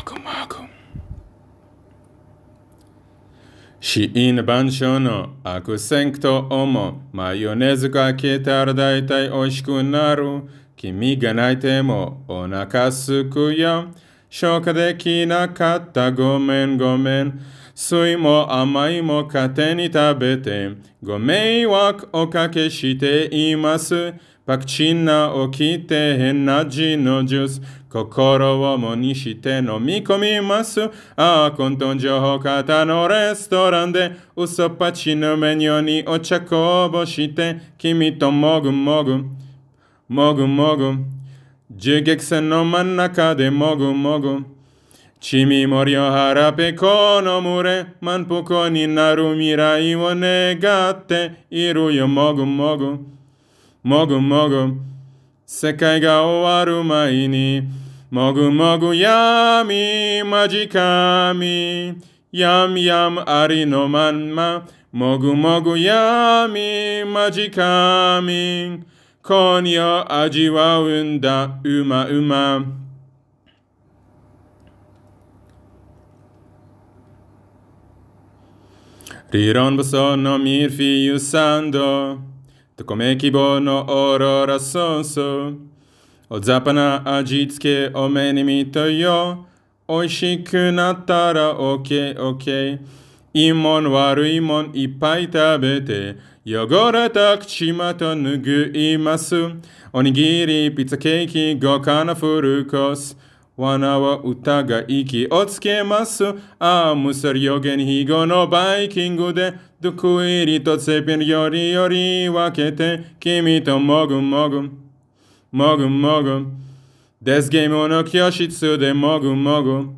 ぐもぐ。死因万象の悪戦苦と思う。マヨネーズかけたら大体美味しくなる。君が泣いてもお腹すくよ。消化できなかったごめんごめん。酸いも甘いも勝手に食べて。ご迷惑おかけしています。パクチンな起きて変な味のジュース。心をもにして飲み込みます。ああ、混沌情報型のレストランで嘘っぱちのメニューにお茶こぼして君ともぐもぐもぐもぐ銃撃戦の真ん中でもぐもぐチミモリを腹ペコの群れ満腹になる未来を願っているよもぐもぐもぐもぐ世界が終わる前にもぐもぐ闇まじかみやみやむありのまんまもぐもぐ闇まじかみ今夜味わうんだうまうま理論武装のミルフィーユサンドと米希望のオーロラソースおざぱな味付けお目に見たよおいしくなったらオッケーオッケーいいもん悪いもんいっぱい食べて汚れた口元拭いますおにぎりピザケーキ豪華なフルコース罠は疑い気をつけます。ああ、むさり予言非語のバイキングで、毒入りとセピンより分けて、君ともぐもぐ、もぐもぐ。デスゲームの教室でもぐもぐ。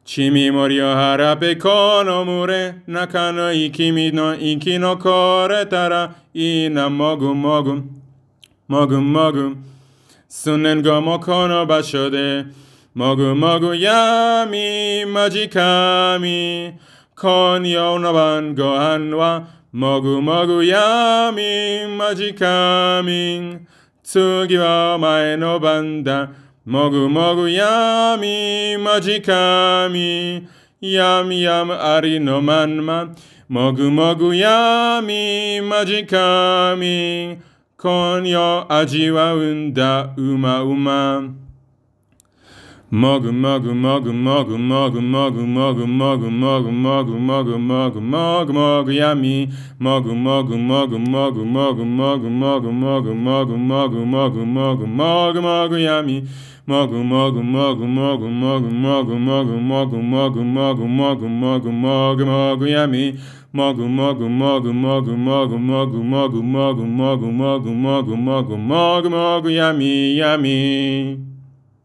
ちみもりを腹ペコの群れ、仲のいい君の生き残れたらいいな、もぐもぐ、もぐもぐ。数年後もこの場所で、もぐもぐ闇まじかみ今夜の晩ご飯はもぐもぐ闇まじかみ次は前の晩だもぐもぐ闇まじかみやみやむありのまんまもぐもぐ闇まじかみ今夜味わうんだうまうまもぐもぐもぐもぐもぐもぐもぐもぐもぐもぐもぐもぐもぐもぐやみもぐもぐもぐもぐもぐもぐもぐもぐもぐもぐもぐもぐもぐもぐやみもぐもぐもぐもぐもぐもぐもぐもぐもぐもぐもぐもぐもぐもぐやみもぐもぐもぐもぐもぐもぐもぐもぐもぐもぐもぐもぐもぐもぐやみやみ